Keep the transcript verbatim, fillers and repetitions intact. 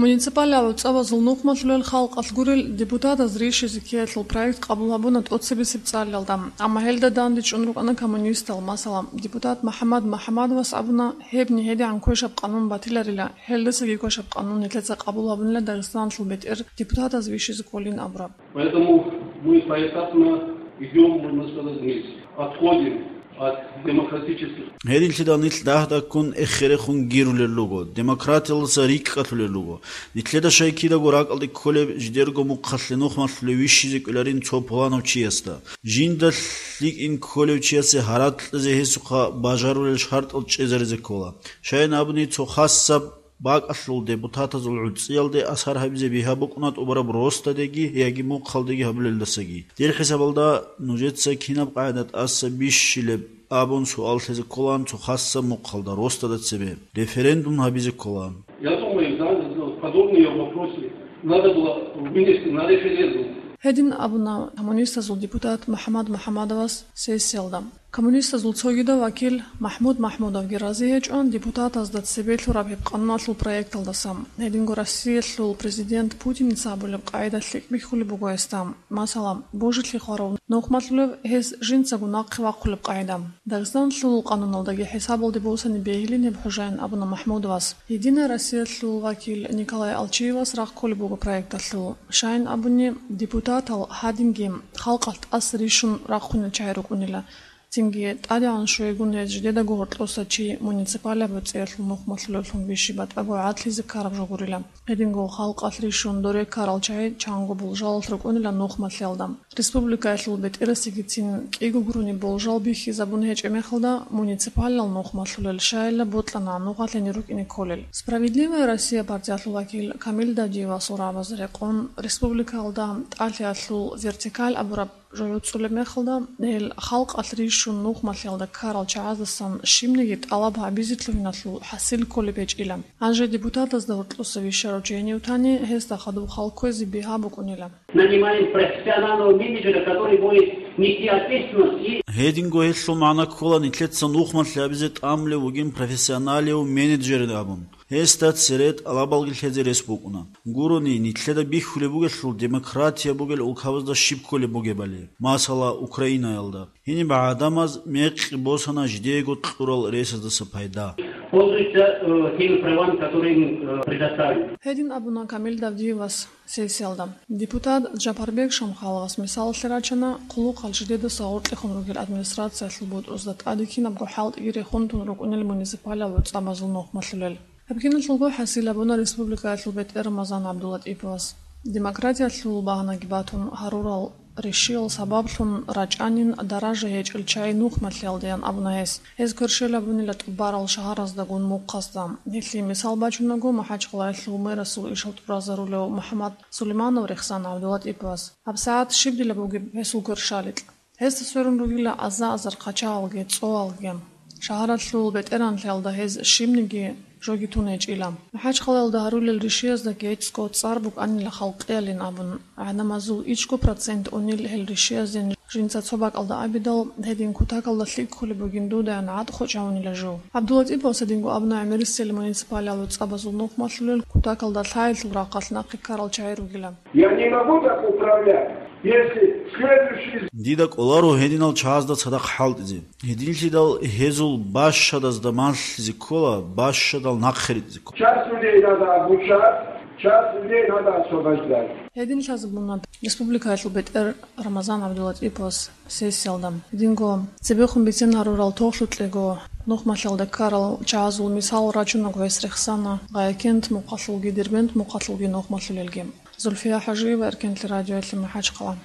Муниципалияб гӀуцӀабазул нухмалъулел халкъалъ гурел депутатаз рищизе ккеялъул проект къабул гьабуна тӀоцебесеб цӀалиялда, амма гьелда дандечӀун рукӀана коммунистал, масала, депутат МахӀаммад МахӀаммадовас абуна, гьебни гьедигӀан квешаб къанун батиларила, гьелдасаги квешаб къанун нилъеца къабул гьабунила Дагъистаналъул бетӀер депутатаз вищизе кколин абураб. Поэтому мы поэтапно идём, можно сказать, вниз. Отходим от демократических. Гьединлъидал нилъ дагь-дагьккун эххерехун гирулел руго, демократиялдаса рикӀкӀалъулел руго. Нилъеда щай кидаго ракӀалде кколеб жидерго мухъалъе нухмалъулев вищизе кӀоларин цо пуланав чиясда. Жинда лъикӀин кколев чиясе гьаракь кьезе гьесухъа бажарулел шартӀал чӀезаризе ккола. Щайин абуни, цо хасаб бакӀалъул депутатазул гӀуцӀиялде асар гьабизе бигьа букӀуна тӀубараб росдадеги яги мухъалдеги гьабулелдасаги. Дир хӀисабалда нужеца кинаб къагӀида тӀаса бищилеб абун суал лъезе кколаан цо хасаб мухъалда росдада цебе референдум гьабизе кколаан. Я думаю, да, подобные вопросы надо было вынести на референдум. Гьедин абуна коммунистазул депутат МахӀаммад МахӀаммадовас сессиялда. Коммунистазул цогидав вакил МахӀмуд МахӀмудовги рази гьечӀо депутатазда цебе лъураб гьеб къануналъул проекталдаса. Гьединго Россиялъул президент Путиница абулеб къагӀида лъикӀ бихьулеб буго гьесда. Масала, божилъи хварав нухмалъулев гьес жинцаго нахъе вахъулеб къагӀида. Дагъистаналъул къануналдаги хӀисабалде босани бегьилин гьеб хӀужаин абуна МахӀмудовас. Единая Россиялъул вакил Николай Алчиевас рагъ кколеб буго проекталъул. Щайин абуни, депутатал гьадинги халкъалъ тӀаса рищун рахъунел чагӀи рукӀунила. Цинги тӀадегӀан щвейгун гьез жидедаго гьоркьоса чи муниципалияб гӀуцӀиялъул нухмалъулевлъун бищи батӀаго гӀадлъизе ккараб жо гурила. Гьединго халкъалъ рищун доре ккарал чагӀи чанго болжалалъ рукӀунила нухмалъиялда. Республикаялъул бетӀерасегицин кӀиго гурони болжал бихьизабун гьечӀеб мехалда, муниципалал нухмалъулел щайила бокьана нухалъе рукӀине кколел. «Справедливая Россия» партиялъул вакил Камил Давдиевасул рагӀабазе рекъон, республикаялда тӀалъиялъул вертикаль абураб жо гӀуцӀулеб мехалда, гьел халкъалъ рищун нухмалъиялда ккарал чагӀаздасан щибниги тӀалаб гьабизе лъугьиналъул хӀасил кколеб гьечӀила. Гьанже депутатазда гьоркьоса вищарав чи гьенив тани, гьесда хадуб хал кквезе бигьа букӀунила. Нанимаем профессионального менеджера, который будет нести ответственность и... Гьединго гьелъул магӀна ккола нилъеца нухмалъи гьабизе тӀамулев вугин профессионалив менеджер абун. Гьесда цере тӀалабалги лъезе рес букӀуна. Гурони, нилъеда бихьулеб бугелъул демократия бугел улкабазда щиб кколеб бугебали, масала, Украинаялда. Гьениб гӀадамаз мекъи босана жидеего кьурал ресаздаса пайда. Пользуются, э, теми правами, которые им, э, предоставлены. Гьедин абуна Камил Давдиевас сессиялда. Депутат Джапарбек Шамхаловас мисалалъе рачана, хъулухъал жидедаса гъоркьехун ругел администрациялъул бутӀрузда тӀаде кинабго хӀалтӀиги рехун тун рукӀунел муниципалал гӀуцӀабазул нухмалъулел. Гьеб киналъулго хӀасил гьабуна республикаялъул бетӀер Рамазан ГӀабдулатӀиповас. Демократиялъул багьанаги батун, гьарурал ришиял сабаблъун рачӀанин даража гьечӀел чагӀи нухмалъиялдаян абуна гьес. Гьез кверщел гьабунила тӀубарал шагьараздагун мухъазда. Гьелъие мисал бачунаго, МахӀачхъалаялъул мэрасул ишал тӀуразарулев МухӀаммад Сулейманов рехсан ГӀабдулатӀиповас. ГьабсагӀат щиб дила бугеб гьесул кверщаликь? Гьесда сверун ругила аза-азар хъачагӀалги, цӀоялги. Шагьаралъул бетӀергьанлъиялда гьез щибниги жоги тун гьечӀила. МахӀачхъалаялда гьарулел ришиязда гьечӀго цӀар букӀанила халкъиялин абун, гӀадамазул ичӀго процент унел гьел ришияздин. Жинца цо бакӀалда абидал, гьедин кутакалда лъикӀ кколеб бугин дудаян гӀатӀ хочӀ гьавунила жо. ГӀабдулатӀиповас гьединго абуна, гӀемерисел муниципалиялъул цӀабазул нухмалъулел кутакалда лъаялъул рахъалъ нахъе ккарал чагӀи ругила. Я не могу так управлять, если следующий... Дида кӀоларо гьединал чагӀазда цадахъ хӀалтӀизе. Гьединлъидал гьезул бащадазда малъизе ккола, бащадал нахъе ритӀизе ккола. Часть людей надо обучать, часть людей надо освобождать. Гьедин лъазабуна республикаялъул бетӀер Рамазан ГӀабдулатӀиповас сессиялда. Гьединго цебехун бицен гьарурал тоглъукьего нухмалъиялда ккарал чагӀазул мисал рачунаго гьес рехсана Гъаякент мухъалъулги Дербент мухъалъулги нухмалъулелги. Зульфия ХӀажиева, Эркенлъи радиоялъе, МахӀачхъала.